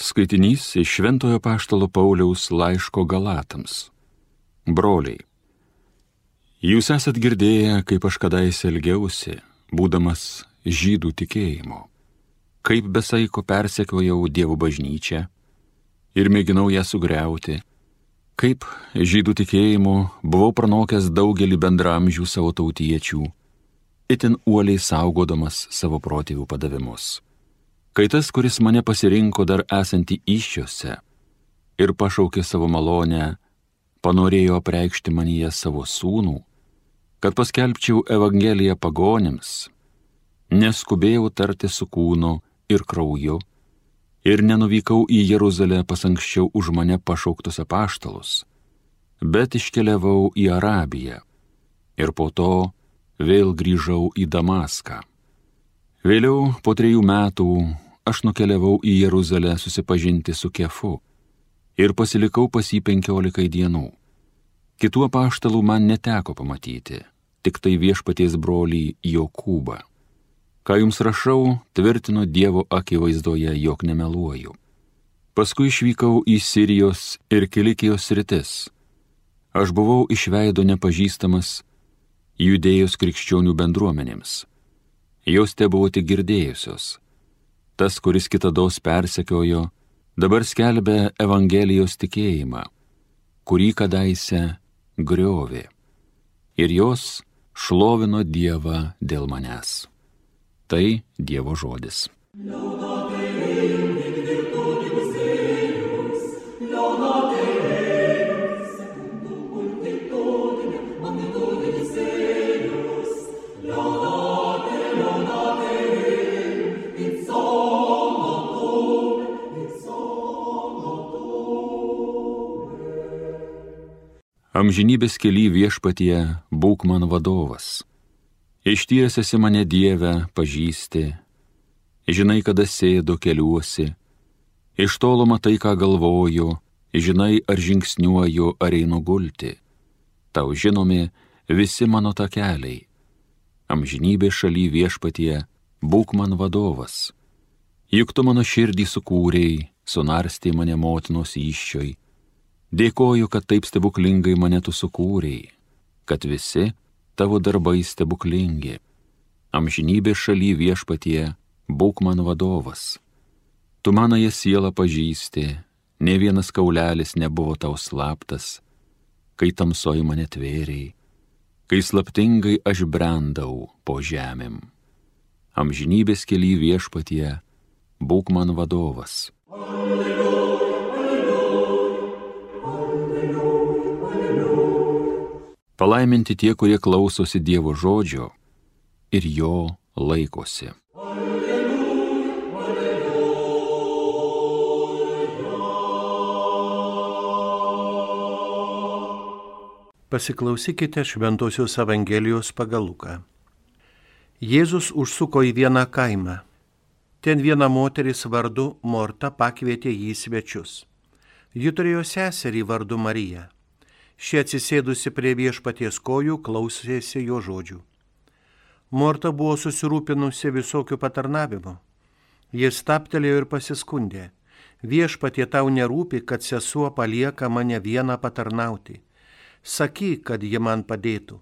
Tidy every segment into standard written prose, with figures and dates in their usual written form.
Skaitinys iš Šventojo Apaštalo Pauliaus laiško Galatams. Broliai, jūs esat girdėję, kaip aš kadaise elgiausi, būdamas žydų tikėjimo, kaip besaiko persekiojau Dievo bažnyčią ir mėginau ją sugriauti, kaip žydų tikėjimu buvau pranokęs daugelį bendramžių savo tautiečių, itin uoliai saugodamas savo protėvių padavimus. Kai tas, kuris mane pasirinko dar esantį įsčiose ir pašaukė savo malonę, panorėjo apreikšti manyje savo sūnų, kad paskelbčiau Evangeliją pagonims, neskubėjau tarti su kūnu ir krauju ir nenuvykau į Jeruzalę pas anksčiau už mane pašauktus apaštalus, bet iškeliavau į Arabiją ir po to vėl grįžau į Damaską. Vėliau, po 3 metų, aš nukeliavau į Jeruzalę susipažinti su Kefu ir pasilikau pas jį 15 dienų. Kitų apaštalų man neteko pamatyti, tik tai viešpaties brolį Jokūbą. Ką jums rašau, tvirtinu Dievo akivaizdoje, jog nemeluoju. Paskui išvykau į Sirijos ir Kilikijos sritis. Aš buvau iš veido nepažįstamas Judėjos krikščionių bendruomenėms. Jos tebuvo tik girdėjusios. Tas, kuris kitados persekiojo, dabar skelbia Evangelijos tikėjimą, kurį kadaise griovė. Ir jos šlovino Dievą dėl manęs. Tai Dievo žodis. Amžinybės kely viešpatie būk man vadovas. Išties esi mane Dieve pažįsti, žinai, kada sėdu keliuosi, iš tolo matai, ką galvoju, žinai, ar žingsniuoju, ar einu gulti. Tau žinomi visi mano takeliai. Amžinybės šaly viešpatie būk man vadovas. Juk tu mano širdį sukūrei, sunarstė mane motinos įsčioj. Dėkoju, kad taip stebuklingai mane tu sukūrei, kad visi tavo darbai stebuklingi. Amžinybės šaly viešpatie būk man vadovas. Tu manąją sielą pažįsti, nė vienas kaulelis nebuvo tau slaptas, kai tamsoj mane tvėrei, kai slaptingai aš brendau po žemėm. Amžinybės kely viešpatie būk man vadovas. Palaiminti tie, kurie klausosi Dievo žodžio ir jo laikosi. Pasiklausykite Šventosios Evangelijos pagal Luką. Jėzus užsuko į vieną kaimą. Ten viena moteris vardu Morta pakvietė jį į svečius. Ji turėjo seserį vardu Mariją. Ši atsisėdusi prie viešpaties kojų klausėsi jo žodžių. Morta buvo susirūpinusi visokių patarnavimų. Jis stabtelėjo ir pasiskundė. Viešpatie, tau nerūpi, kad sesuo palieka mane vieną patarnauti. Sakyk, kad ji man padėtų.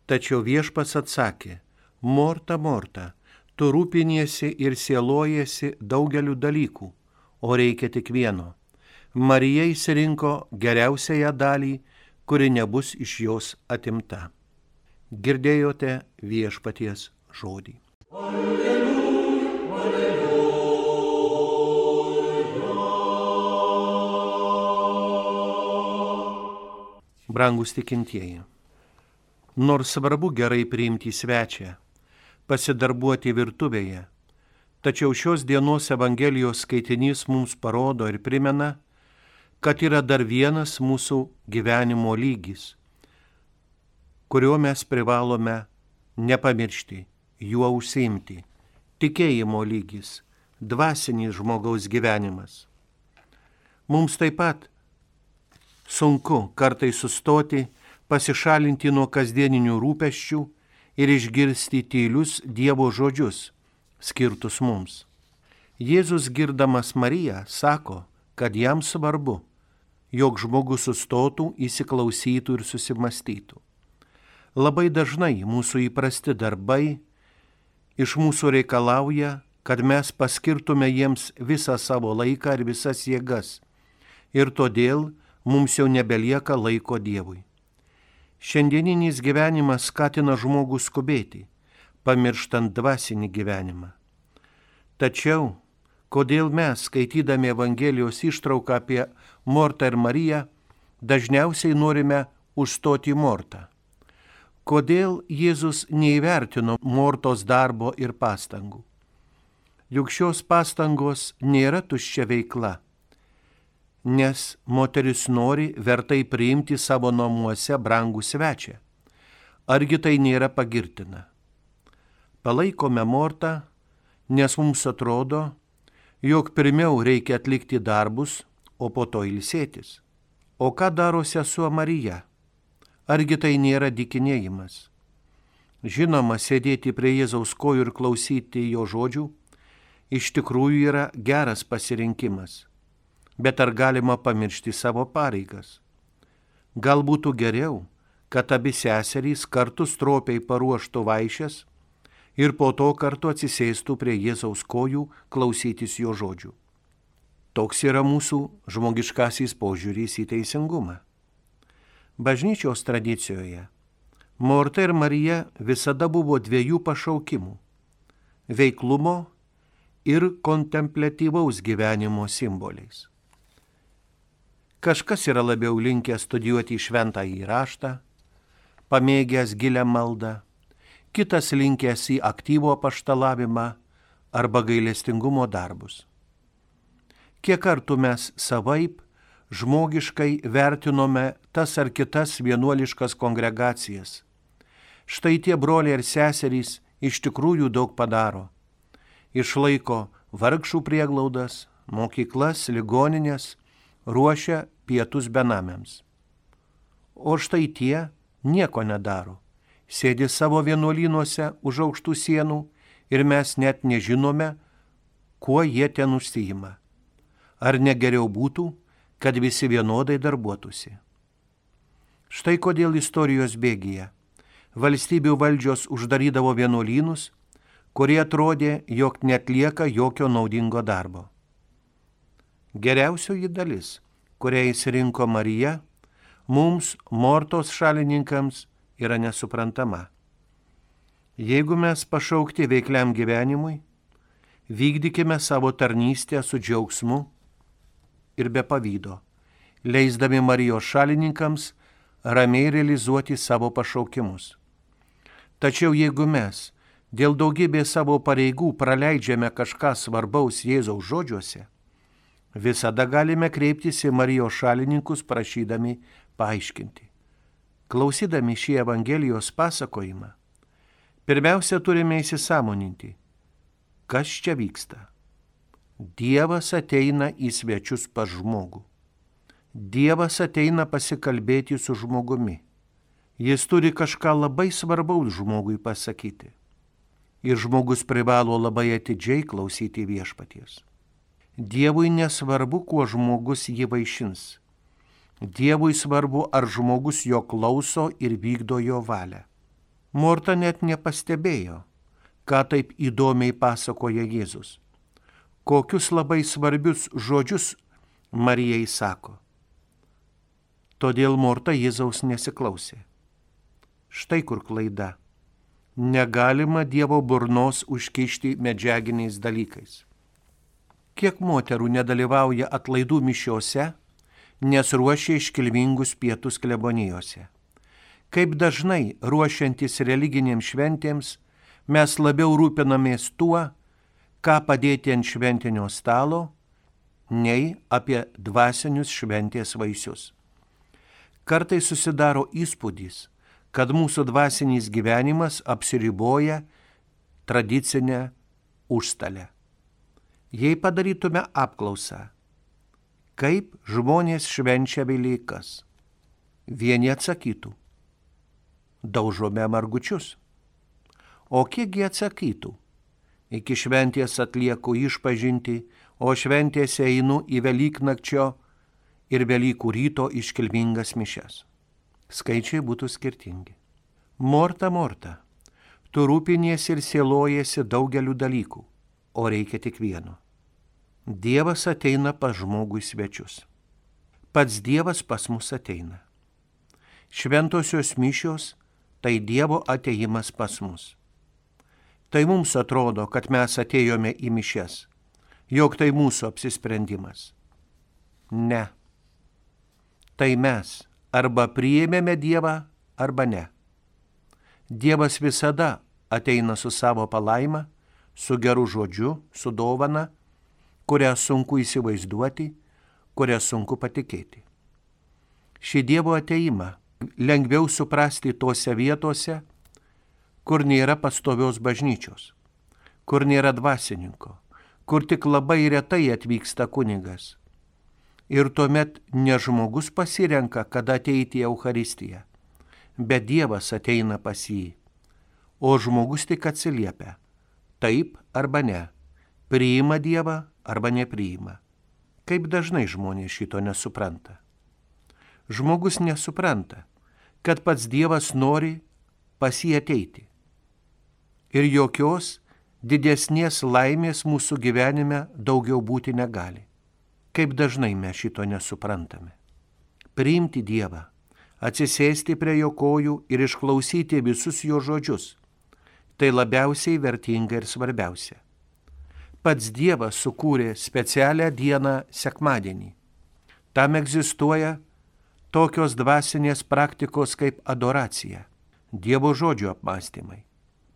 Tačiau viešpats atsakė, Morta, Morta, tu rūpiniesi ir sielojiesi daugeliu dalykų, o reikia tik vieno. Marija išsirinko geriausiąją dalį, kuri nebus iš jos atimta. Girdėjote viešpaties žodį. Alleluja, alleluja. Brangus tikintieji, nors svarbu gerai priimti svečią, pasidarbuoti virtuvėje, tačiau šios dienos Evangelijos skaitinys mums parodo ir primena, kad yra dar vienas mūsų gyvenimo lygis, kurio mes privalome nepamiršti, juo užsiimti. Tikėjimo lygis, dvasinis žmogaus gyvenimas. Mums taip pat sunku kartais sustoti, pasišalinti nuo kasdieninių rūpesčių ir išgirsti tylius Dievo žodžius, skirtus mums. Jėzus girdamas Mariją sako, kad jam svarbu, jog žmogus sustotų, įsiklausytų ir susimastytų. Labai dažnai mūsų įprasti darbai iš mūsų reikalauja, kad mes paskirtume jiems visą savo laiką ir visas jėgas, ir todėl mums jau nebelieka laiko Dievui. Šiandieninis gyvenimas skatina žmogų skubėti, pamirštant dvasinį gyvenimą. Tačiau, kodėl mes, skaitydami Evangelijos ištrauką apie Mortą ir Mariją, dažniausiai norime užstoti Mortą? Kodėl Jėzus neįvertino Mortos darbo ir pastangų? Juk šios pastangos nėra tuščia veikla, nes moteris nori vertai priimti savo namuose brangų svečią. Argi tai nėra pagirtina? Palaikome Mortą, nes mums atrodo, jog pirmiau reikia atlikti darbus, o po to ilsėtis. O ką daro sesuo Marija? Argi tai nėra dykinėjimas? Žinoma, sėdėti prie Jėzaus kojų ir klausyti jo žodžių iš tikrųjų yra geras pasirinkimas. Bet ar galima pamiršti savo pareigas? Gal būtų geriau, kad abi seserys kartu stropiai paruoštų vaišes ir po to kartu atsisėstų prie Jėzaus kojų klausytis jo žodžių. Toks yra mūsų žmogiškasis požiūris į teisingumą. Bažnyčios tradicijoje Morta ir Marija visada buvo dviejų pašaukimų – veiklumo ir kontempliatyvaus gyvenimo simboliais. Kažkas yra labiau linkęs studijuoti šventąjį raštą, pamėgęs gilią maldą, kitas linkęs į aktyvų apaštalavimą arba gailestingumo darbus. Kiek kartų mes savaip žmogiškai vertinome tas ar kitas vienuoliškas kongregacijas. Štai tie broliai ir seserys iš tikrųjų daug padaro. Išlaiko vargšų prieglaudas, mokyklas, ligoninės, ruošia pietus benamiams. O štai tie nieko nedaro. Sėdi savo vienuolynuose už aukštų sienų ir mes net nežinome, kuo jie ten užsiima. Ar negeriau būtų, kad visi vienodai darbuotųsi? Štai kodėl istorijos bėgyje valstybių valdžios uždarydavo vienuolynus, kurie atrodė, jog netlieka jokio naudingo darbo. Geriausioji dalis, kurią įsirinko Marija, mums, Mortos šalininkams, yra nesuprantama. Jeigu mes pašaukti veikliam gyvenimui, vykdykime savo tarnystę su džiaugsmu ir be pavydo, leisdami Marijos šalininkams ramiai realizuoti savo pašaukimus. Tačiau jeigu mes dėl daugybės savo pareigų praleidžiame kažką svarbaus Jėzaus žodžiuose, visada galime kreiptis į Marijos šalininkus prašydami paaiškinti. Klausydami šį Evangelijos pasakojimą, pirmiausia turime įsisąmoninti, kas čia vyksta. Dievas ateina į svečius pas žmogų. Dievas ateina pasikalbėti su žmogumi. Jis turi kažką labai svarbaus žmogui pasakyti. Ir žmogus privalo labai atidžiai klausyti viešpaties. Dievui nesvarbu, kuo žmogus jį vaišins. Dievui svarbu, ar žmogus jo klauso ir vykdo jo valią. Morta net nepastebėjo, ką taip įdomiai pasakoja Jėzus. Kokius labai svarbius žodžius Marijai sako. Todėl Morta Jėzaus nesiklausė. Štai kur klaida. Negalima Dievo burnos užkišti medžiaginiais dalykais. Kiek moterų nedalyvauja atlaidų mišiose, nes ruošia iškilmingus pietus klebonijose. Kaip dažnai ruošiantis religinėms šventėms, mes labiau rūpinamės tuo, ką padėti ant šventinio stalo, nei apie dvasinius šventės vaisius. Kartais susidaro įspūdis, kad mūsų dvasinis gyvenimas apsiriboja tradicinę užstalę. Jei padarytume apklausą, kaip žmonės švenčia Velykas, vieni atsakytų, daužome margučius. O kiekgi atsakytų, Iki šventės atlieku išpažinti, o šventėse einu į Velyknakčio ir Velykų ryto iškilmingas mišias. Skaičiai būtų skirtingi. Morta, Morta, tu rūpiniesi ir sielojasi daugeliu dalykų, o reikia tik vieno. Dievas ateina pas žmogų į svečius. Pats Dievas pas mus ateina. Šventosios mišios tai Dievo ateimas pas mus. Tai mums atrodo, kad mes atėjome į mišias, jog tai mūsų apsisprendimas. Ne. Tai mes arba priėmėme Dievą, arba ne. Dievas visada ateina su savo palaima, su geru žodžiu, su dovana, kurią sunku įsivaizduoti, kurią sunku patikėti. Šį Dievo ateimą lengviau suprasti tose vietose, kur nėra pastovios bažnyčios, kur nėra dvasininko, kur tik labai retai atvyksta kunigas. Ir tuomet ne žmogus pasirenka, kada ateiti į Eucharistiją, bet Dievas ateina pas jį, o žmogus tik atsiliepia, taip arba ne, priima Dievą arba nepriima. Kaip dažnai žmonės šito nesupranta. Žmogus nesupranta, kad pats Dievas nori pas jį ateiti. Ir jokios didesnės laimės mūsų gyvenime daugiau būti negali. Kaip dažnai mes šito nesuprantame. Priimti Dievą, atsisėsti prie jo kojų ir išklausyti visus jo žodžius. Tai labiausiai vertinga ir svarbiausia. Pats Dievas sukūrė specialią dieną sekmadienį. Tam egzistuoja tokios dvasinės praktikos kaip adoracija, Dievo žodžio apmąstymai.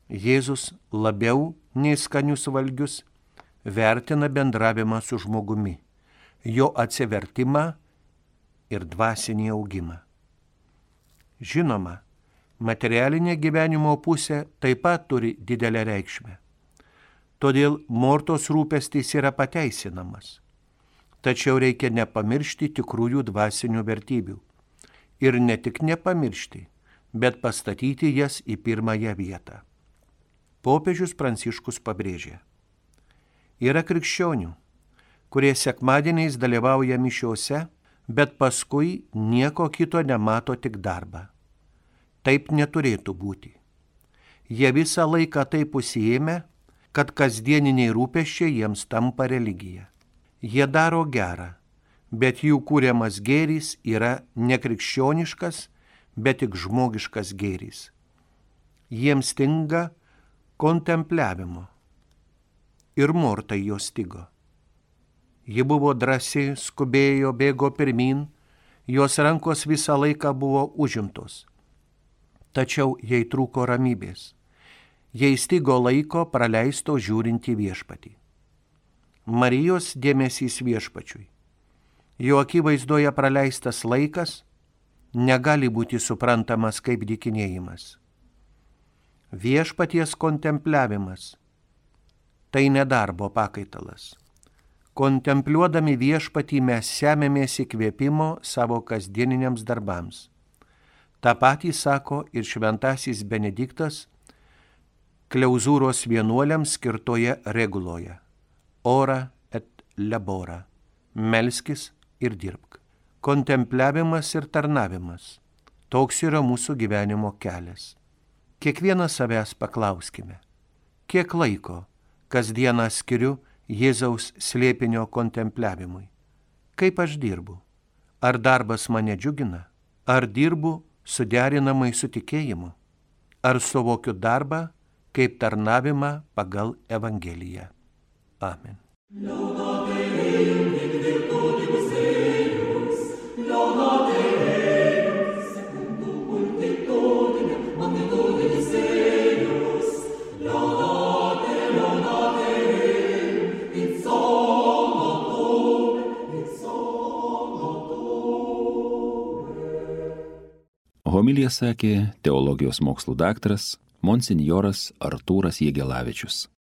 Jėzus labiau nei skanius valgius vertina bendravimą su žmogumi, jo atsivertimą ir dvasinį augimą. Žinoma, materialinė gyvenimo pusė taip pat turi didelę reikšmę. Todėl Mortos rūpestis yra pateisinamas. Tačiau reikia nepamiršti tikrųjų dvasinių vertybių. Ir ne tik nepamiršti, bet pastatyti jas į pirmąją vietą. Popiežius Pranciškus pabrėžė. Yra krikščionių, kurie sekmadieniais dalyvauja mišiose, bet paskui nieko kito nemato tik darbą. Taip neturėtų būti. Jie visą laiką taip užsiėmę, kad kasdieniniai rūpesčiai jiems tampa religija. Jie daro gerą, bet jų kūriamas gėris yra nekrikščioniškas, bet tik žmogiškas gėris. Jiems stinga kontempliavimo. Ir Mortai jo stigo. Ji buvo drąsi, skubėjo, bėgo pirmin, jos rankos visą laiką buvo užimtos. Tačiau jai trūko ramybės. Jai stigo laiko praleisto žiūrint į viešpatį. Marijos dėmesys viešpačiui. Jo akivaizdoje praleistas laikas negali būti suprantamas kaip dykinėjimas. Viešpaties kontempliavimas – tai nedarbo pakaitalas. Kontempliuodami viešpatį mes semiamės įkvėpimo savo kasdieniniams darbams. Ta patį sako ir šventasis Benediktas Kleuzūros vienuoliams skirtoje reguloje. Ora et labora. Melskis ir dirbk. Kontempliavimas ir tarnavimas. Toks yra mūsų gyvenimo kelias. Kiekvieną savęs paklauskime. Kiek laiko kasdieną skiriu Jėzaus slėpinio kontempliavimui? Kaip aš dirbu? Ar darbas mane džiugina? Ar dirbu suderinamai su tikėjimu? Ar suvokiu darbą kaip tarnavimą pagal Evangeliją? Amen. Homiliją sakė teologijos mokslų daktaras monsinjoras Artūras Jegelavičius.